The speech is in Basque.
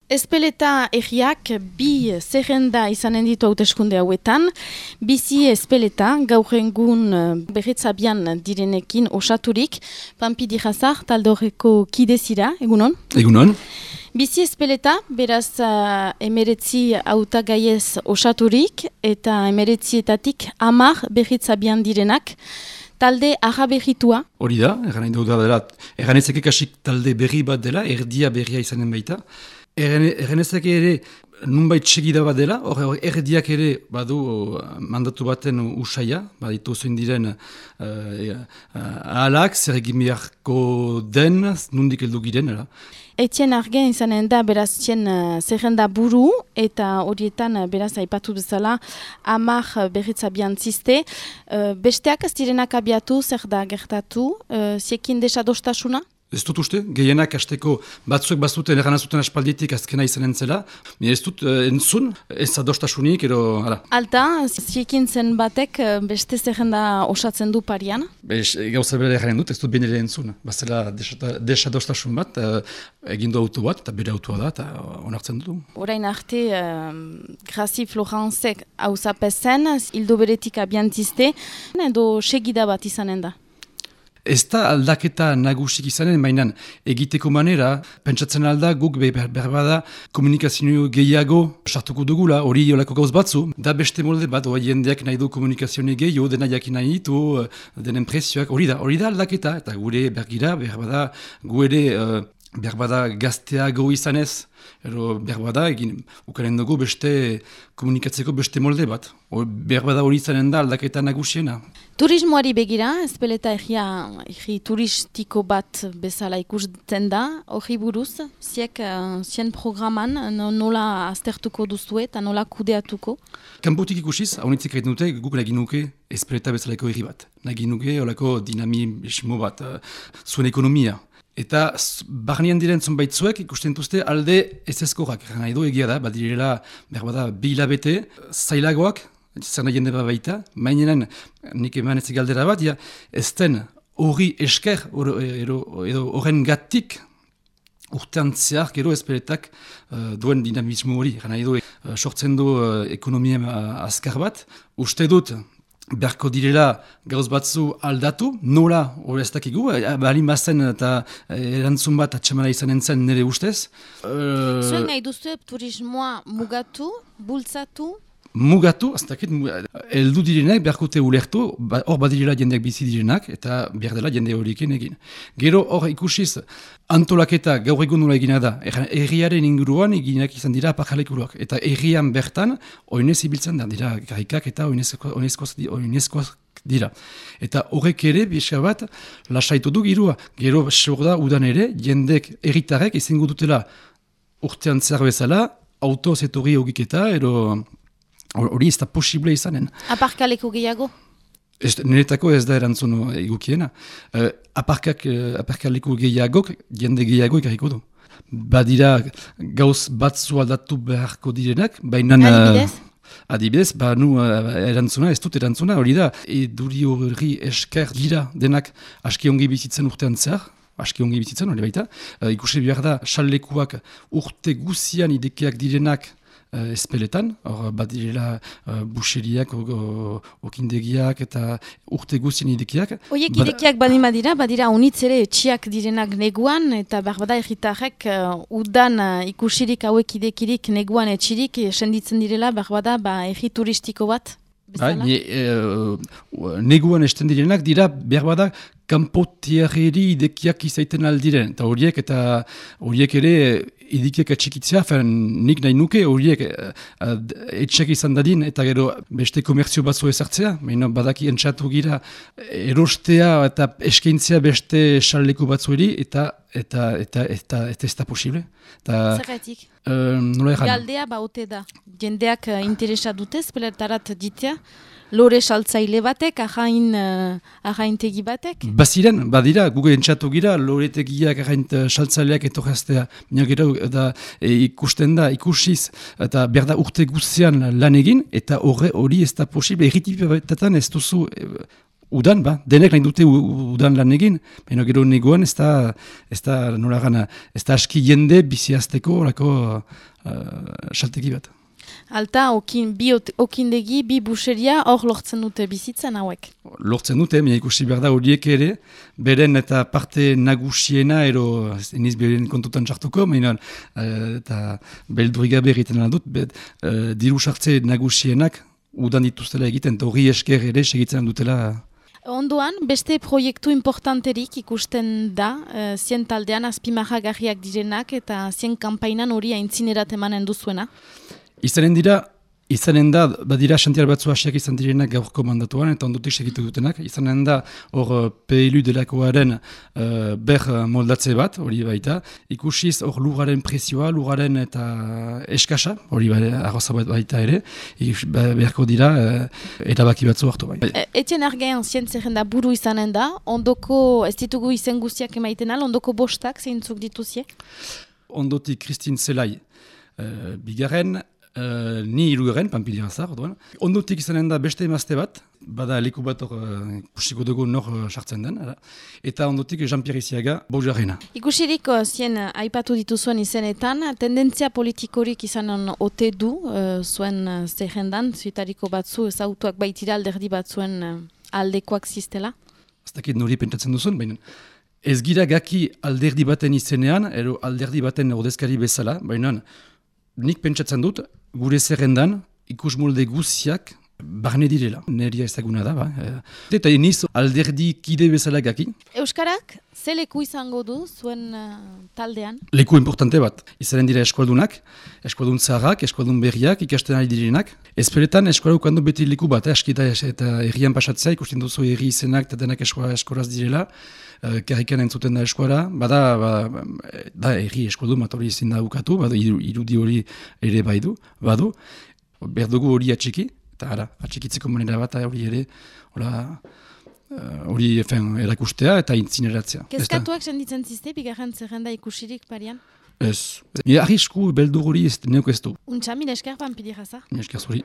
Espeleta egiak bi zerrenda izanen ditu hauteskunde hauetan. Bizi espeleta gaur egun berritzabian direnekin osaturik. Pampi Dijazar talde horreko kidezira, egunon? Egunon. Bizi espeleta, beraz emeretzi hautagaiez osaturik eta emeretzietatik 10 berritzabian direnak. Talde agaberritua. Hori da, eganezake kasik talde berri bat dela, erdia berria izanen baita. Eganezake ere nunbait segida bat dela, erdiak ere badu mandatu baten usaia, baditu zein diren ahalak, zer egin beharko den, nundik heldu giren. Etien argen izanen da beraz tien zerrenda buru eta horietan beraz aipatu bezala 10 berritzabian ziste. Besteak ez direnak abiatu, zer da gertatu, ziekin desadostasuna? Ez dut uste, gehienak hasteko batzuek bazuten erganazuten aspalditik azkena izanen zela. Ez dut entzun, ez adostasunik, ero... Alta, ziekin zen batek beste zerrenda osatzen du parian? Gauza bere egaren dut, ez dut benere entzun. Bazela desadostasun bat, egindu auto bat, eta bere autoa da, eta onartzen du. Orain arte, Grazi Florentzek hauzapezen, hildo beretik abiantziste, edo segida bat izanen da? Ez da aldaketa nagusik izanen, mainan egiteko manera, pentsatzen alda guk berbada komunikazio gehiago sartuko dugula, hori olako gauz batzu. Da beste molde bat, jendeak nahi du komunikazio gehiago, dena jakin nahi ditu, denen prezioak, hori da aldaketa, eta gure bergira, berbada gu ere berbada gazteago izanez, ero berbada egin ukaren dugu beste komunikatzeko beste molde bat. Berbada hori izanen da aldaketa nagusiena. Turismoari begira, espeleta egi turistiko bat bezala ikusten da, hori buruz, zien programan nola aztertuko duzu eta nola kudeatuko? Kanpotik ikusiz, haunitzik egiten dute, guk nagin nuke espeleta bezalako herri bat. Nagin nuke olako dinamismo bat, zuen ekonomia. Eta barnean diren zonbaitzuek ikusten duzte alde ez ezkorrak. Nahi du egia da, badirela berbada 2 hilabete, zailagoak, zer nahi jende baita, mainenan nik eman ez galdera bat, ez den hori esker, edo horren gatik urtean zehar gero espeletak duen dinamismo hori. Nahi du sortzen du ekonomia azkar bat, uste dut, beharko direla gauz batzu aldatu, nola hori ez dakigu, balin bazen eta erantzun bat atxamara izanen zen nire ustez. Zuen nahi duzu turismoa mugatu, bultzatu? Mugatu, ez dakit, heldu direnak beharkote ulertu, hor badirela jendeak bizi direnak, eta behar dela jende horiekin egin. Gero hor ikusiz, antolaketa gaur egun nola egina da, erriaren inguruan eginak izan dira aparkalekuruak, eta errian bertan, oinez ibiltzen da, dira garrikak eta oinezkoak dira. Eta horrek ere, bisa bat, lasaitu du girua. Gero, da udan ere, jendek erritarek izango dutela urtean zer bezala, autoz etorri ogiketa, hori ez da posible izanen. Aparkaleko gehiago? Niretako ez da erantzun egukiena. Aparkaleko gehiagok, jende gehiago ikarriko du. Badira gauz batzu aldatu beharko direnak, baina... Adibidez, erantzuna, ez dut erantzuna, hori da, duri hori esker dira denak aski ongi bizitzen urtean zehar, aski ongi bizitzen, hori baita. Ikusi behar da, xalekuak urte guzian idekiak direnak espeletan, hor bat direla buxeriak, okindegiak eta urte guztien idekiak. Oiek idekiak badira unitz ere etxiak direnak neguan, eta barbada erritarrek udan ikusirik hauek idekirik neguan etxirik senditzen direla barbada erri turistiko bat? Neguan esten direnak dira berbada kanpotiarreri idekiak izaiten aldiren, eta horiek ere idikiak atxikitzea, nik nahi nuke horiek etxek izan dadin, eta gero beste komertzio batzu ezartzea, badaki entxatu gira erostea eta eskaintzea beste xaleko batzueri, eta ez da posible. Zergatik? Galdea baute da. Jendeak interesa dute, espeletarat ditea, lore saltzaile batek, ahaintegi batek? Baziren, badira, guge entxatu gira, loretegiak saltzaileak etorraztea. Gero, ikusten da, ikusiz, eta berda urte guztian lan egin, eta hori ez da posible. Erritipetan ez duzu Udan, denek nahi dute udan lan egin, baina gero negoan ez da nola gana, ez da aski jende biziazteko orako salteki bat. Alta, okindegi, bi buseria hor lortzen dute bizitzen hauek. Lortzen dute, baina ikusi behar da horiek ere, beren eta parte nagusiena, eniz beren kontutan txartuko, baina eta beldurigabe egiten lan dut, diru sartze nagusienak udan dituztela egiten, eta hori esker ere segitzen dutela. Ondoan, beste proiektu importanterik ikusten da, zien taldean azpimarragarriak direnak eta zien kanpainan hori aintzinerat emanen duzuena. Izanen da, badira xantiar batzu hasiak izan direnak gaurko mandatuan, eta ondotik segitu dutenak. Izanen da, hor PLU delakoaren ber moldatze bat, hori baita. Ikusiz hor lugaren presioa, lugaren eta eskasa, hori arroza bat baita ere. Beharko dira, erabaki batzu hartu bai. Etienne Argain zientzerrenda buru izanen da, ondoko, ez ditugu izen guztiak emaiten al, ondoko bostak zeintzuk dituzie? Ondotik Christine Zelai, bigarren, ni irugaren, Pampilira zar, ondotik izanen da beste emazte bat, bada leku bat ikusiko dugu nor sartzen den, eta ondotik Jean-Pierre Isiaga, Boujarrena. Ikusirik zien aipatu dituzuen izenetan, tendentzia politikorik izanen ote du zuen zerrendan, zuetariko batzu ezautuak baitira alderdi batzuen aldekoak ziztela? Ez dakit nori pentsatzen duzun, baina ez gira gaki alderdi baten izenean, ero alderdi baten ordezkari bezala, baina nik pentsatzen dut, gure zerrendan ikus molde guziak barne direla. Neria ezaguna da, Eta eniz alderdi kide bezala gaki. Euskarak, ze leku izango du zuen taldean? Leku importante bat. Izanen dira eskualdunak, eskualdun zaharrak, eskualdun berriak, ikasten ari direnak. Ezperetan eskuala ukandu beti leku bat, askita eta herrian pasatzea, ikusten duzu herri izenak eta denak eskolaz direla. Karrikan entzuten da eskuara, da herri eskualdun bat hori ezin da ukatu, irudi hori ere badu, berdugu hori atxiki, eta atxikitzeko manera bat hori ere, hori erakustea eta intzineratzea. Kezkatuak senditzen zizte, bigarren zerrenda ikusirik parian? Ez. Arrisku beldur hori ez neok ez du. Untxa, mila esker Pampilira zar? Mila esker zuri.